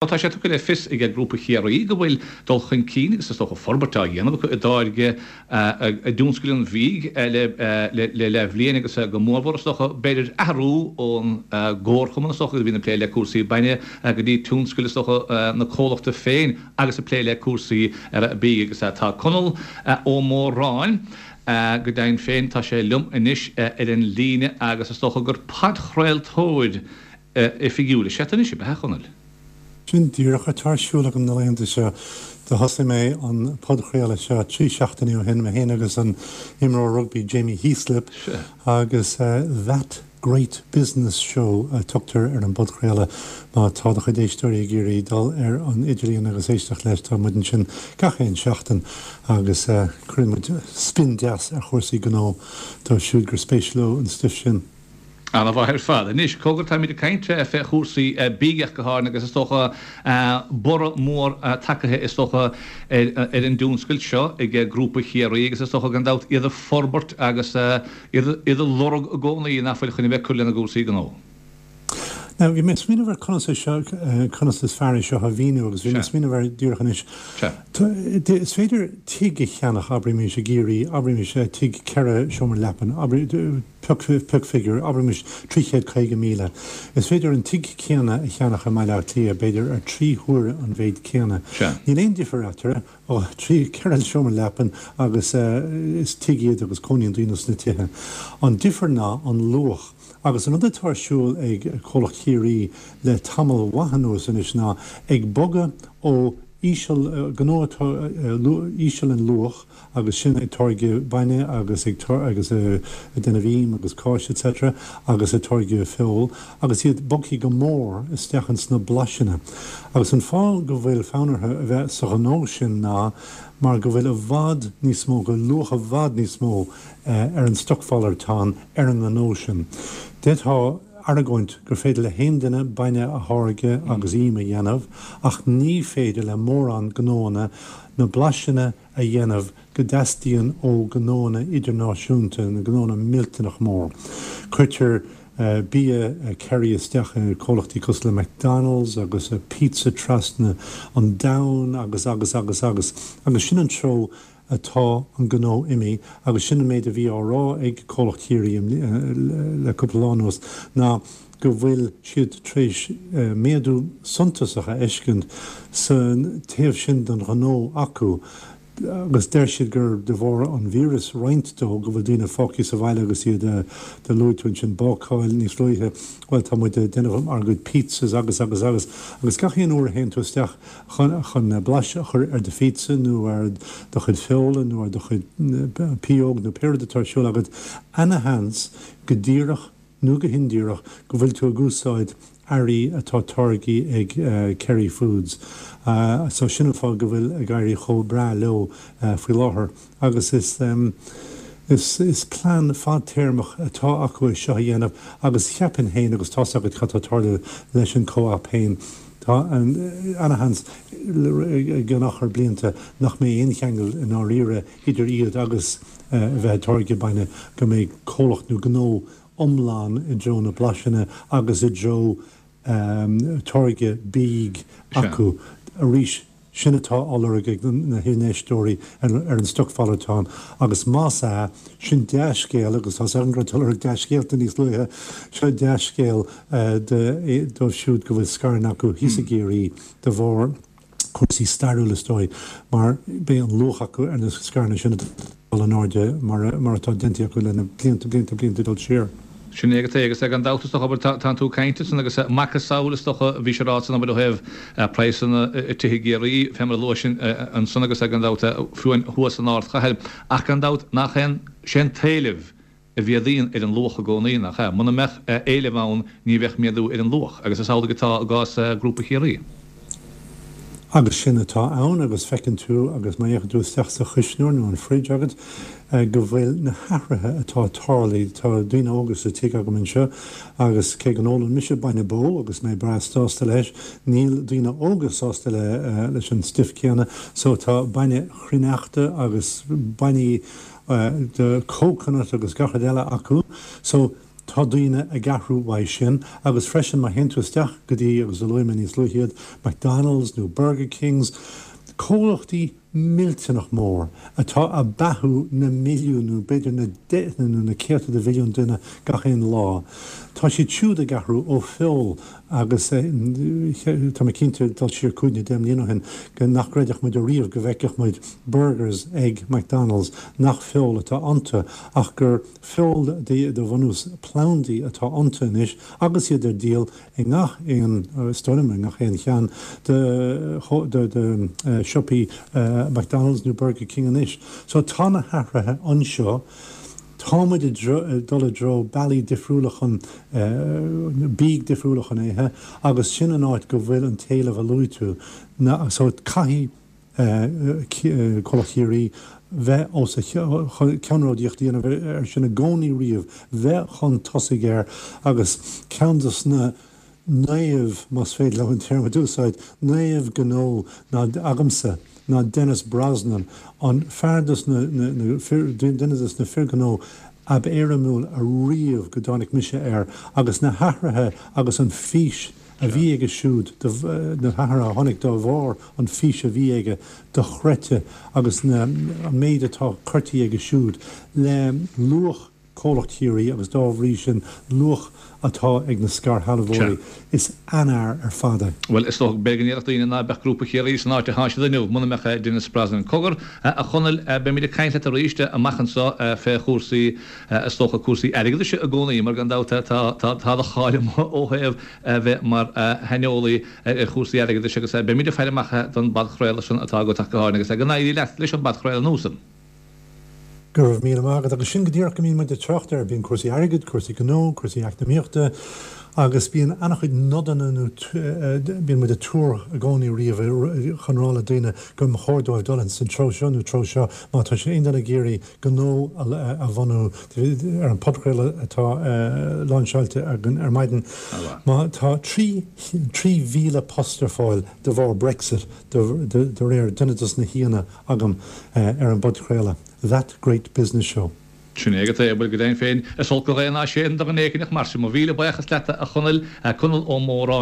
Tá sé tugtha le fios ag Grúpa Chiarraí go bhfuil dul chun cinn agus is dócha forbairt á dhéanamh acu i dtáirgeadh i dtionscal an bhídh le leathbhliain agus go mórmhór is dócha b'fhéidir athrú ón gcomharchumann is dócha a bhíonn ag plé le cúrsaí bainne go dtí tionscal is dócha na comhlachta féin agus ag plé le cúrsaí bídh agus tá Conall Ó Móráin go deimhin féin tá sé liom anois ar an líne agus is dócha gur podchraoltóir oifigiúil is ea tú anois, ab ea, a Chonaill? Sin díreach atá ar siúl agam na laethanta seo. Do thosaigh mé an podchraoladh seo 3 seachtainí ó shin, mé féin agus an imreoir rugbaí Jamie Heaslip, agus That Great Business Show a tugtar ar an bpodchraoladh. Má tá do chuid éisteoirí ag iarraidh dul ar an idirlíon agus éisteacht leis, tá muid ansin gach aon seachtain agus cuireann muid spin deas ar chúrsaí gnó dóibh siúd gur spéis leo an stuif sin. Ana-mhaith ar fad. Anois, cogar, táimid ag caint fé chúrsaí bídh ach go háirithe agus is dócha borradh mór tagaithe is dócha ar an dtionscal seo ag Grúpa Chiarraí agus is dócha gan dabht iad ag forbairt agus iad ag lorg i gcónaí nach bhfuil chun a bheith ag cur lena gcúrsaí gnó. Now, bhí mé ag smaoineamh ar conas é seo, conas is fearr é seo a mhíniú agus bhí mé ag smaoineamh air díreach anois. Is féidir tigh a cheannach, abraimis, i gCiarraí, abraimis tigh 4 seomra leapan, pioc, pioc figiúr, abraimis 350,000. Is féidir an tigh céanna a cheannach i mBaile Átha Cliath, b'fhéidir ar 3 huaire an mhéid céanna. Níl aon difear eatarthu. Ó, 3, 4 seomra leapan agus is tigh iad agus cónaíonn daoine sna tithe. An difear ná an luach. Agus an rud atá ar siúl ag comhlacht Chiarraí le tamall mhaith anuas anois ná ag bogadh ó íseal, gnó atá íseal in luach agus sin ag táirgeadh bainne agus ag agus ag déanamh im agus cáis etc agus ag táirgeadh feoil agus iad bogthaí go mór isteach ins na blaiseanna. Agus an fáth go bhfuil fonn orthu a bheith sa ghnó sin ná mar go bhfuil i bhfad níos mó, go bhfuil luach i bhfad níos mó ar an stocmhalartán ar an ngnó sin. D'fhéadfá argóint gur féidir le haon duine bainne a tháirgeadh agus im a dhéanamh ach ní féidir le mórán gnóanna na blaiseanna a dhéanamh go dteastaíonn ó ghnóanna idirnáisiúnta, na gnóanna millteanach mór. Cuirtear bia Kerry isteach i comhlachtaí cosúil le McDonald's agus pizza trasna an domhain agus agus agus agus agus sin an treo atá an gnó imithe agus sin an méid a bhí á rá ag comhlacht Chiarraí le cúpla lá anuas ná go bhfuil siad tar éis méadú suntasach a fheiscint sa taobh sin den ghnó acu agus deir siad gur de bharr an víreas roinnt dó go bhfuil daoine fágtha sa bhaile agus iad do luaigh tú ansin bácáil níos luaithe bhuel tá muid ag déanamh ár gcuid pizzas agus agus agus agus gach aon uair a théann tú isteach chun chun blaiseadh a chur ar do phizza nó ar do chuid feola nó ar do chuid pióg nó pé rud atá ar siúl agat ana-sheans go díreach nó go hindíreach, go bhfuil tú ag úsáid earraí atá táirgthe ag Kerry Foods. So sin an fáth go bhfuil ag éirí chomh breá leo faoi láthair. Agus is is is plean fadtéarmach atá acu é seo a dhéanamh agus cheapfainn féin, agus tá's agat cad tá tarlú leis an Co-op féin, tá ana-sheans i gceann achar blianta nach mbeidh aon cheangal i ndáiríre idir iad agus a bheith ag táirgeadh bainne, go mbeidh comhlacht nó gnó iomlán i dtreo na blaiseanna agus i dtreo táirgeadh bídh acu. Arís, sin atá á lorg ag na hinfheisteoirí ar an stocmhalartán agus más ea, sin dea-scéal agus tá's agam go raibh tú ag lorg dea-scéalta níos luaithe, seo dea-scéal dóibh siúd go bhfuil scaireanna acu thíos i gCiarraí de bharr cúrsaí stairiúla is dóigh, mar beidh an luach acu ar na scaireanna sin ag dul in airde mar atá déanta acu le na blianta, blianta, blianta ag dul siar. Sin é agat é, agus gan dabht is dócha, abair, tánn tú ag caint ansan agus macasamhail is dócha, bhís ag rá ansan, abair, ó thaobh praghsanna tithe i gCiarraí, fé mar a luais ansan agus gan dabht fiú amháin thuas san ardchathair, ach gan dabht nach aon, sé an t-éileamh a mhéadaíonn ar an luach i gcónaí, nach ea? Muna mbeadh éileamh ann ní bheadh méadú ar an luach, agus is amhlaidh atá i gcás Grúpa Chiarraí. Agus sin atá ann, agus feiceann tú, agus má fhéachann tú isteach sa chuisneoir nó an fridge agat, go bhfuil na hathruithe atá tarlaithe, tá daoine óga sa tigh agam anseo, agus cé go n-ólann mise bainne bó agus mé breá sásta leis, níl daoine óga sásta le leis an stuif céanna, so tá bainne chruithneachta agus bainní de coconut agus gach rud eile acu. So. Tá daoine ag athrú uaidh sin agus freisin má théann tú isteach go dtí, agus luaigh mé níos luaithe iad, McDonald's nó Burger Kings, comhlachtaí millteanach mór atá ag beathú na milliúin nó b'fhéidir na deicheanna nó na céadta de mhilliúin duine gach aon lá, tá siad siúd ag athrú ó feoil agus tá mé cinnte, dul siar cúig nó deich mbliana ó shin, go nach gcreidfeadh muid ariamh go bhfeicfeadh muid burgers ag McDonald's nach feoil atá iontu ach gur feoil de bhunús plandaí atá iontu anois agus iad ar díol i ngach aon, is dóigh liom, i ngach aon cheann de de siopaí McDonald's nó Burger King anois. So tá na hathruithe anseo, tá muid ag dul i dtreo bealaí difriúla chun, bídh difriúla chun ithe agus sin an áit go bhfuil an t-éileamh a luaigh tú. So caithfidh. Comhlacht Chiarraí bheith os a cheannródaíocht a dhéanamh air sin i gcónaí riamh, bheith chun tosaigh air agus ceann dos na naoimh, más féidir liom an téarma d'úsáid, naomh gnó ná agamsa ná Denis Brosnan, an fear dos na, duine dos na fir gnó ab éirimiúil ariamh go dtáinig mise air agus na hathruithe agus an fís a bhí aige siúd, na hathruithe a tháinig dá bharr an fís a bhí aige dochreidte agus na, an méid atá curtha aige siúd le luach Comhlacht Chiarraí agus dá bhrí sin luach atá ag na scairshealbhóirí. Is an-fhear ar fad é. Bhuel, is dócha b'fhéidir go ndéarfadh daoine ná beadh Grúpa Chiarraí san áit atá siad inniu muna mbeadh Denis Brosnan. Cogar, a Chonaill, beimid ag caint leat arís amach anseo fé chúrsaí, is dócha cúrsaí airgeadais i gcónaí mar gan dabht tá, tá do cháil amuigh ó thaobh a bheith mar shaineolaí ar chúrsaí airgeadais agus beimid ag faire amach don bpodchraoladh sin atá agat ach go háirithe agus go n-éirí leat leis an bpodchraoladh nua san. Go raibh míle maith agat. Agus sin go díreach go mbíonn muid ag trácht air, bíonn cúrsaí airgid, cúrsaí gnó, cúrsaí eacnamaíochta agus bíonn an-chuid nodanna nó bíonn muid ag tuar i gcónaí riamh chun rá le daoine go mba chóir dóibh dul ins an treo seo nó treo seo má tá sé aon duine ag iarraidh gnó a bhunú ar an podchraoladh atá láinseáilte againn ar maidin. Má tá 3,000 post ar fáil de bharr Brexit de réir duine dos na haíonna agam ar an bpodchraoladh That Great Business Show. Sin é agat é, bhuel go deimhin féin, is olc an ghaoth ná séideann do dhuine éicint ach mar sin. Mo mhíle buíochas leat a Chonaill, Conall Ó Móráin.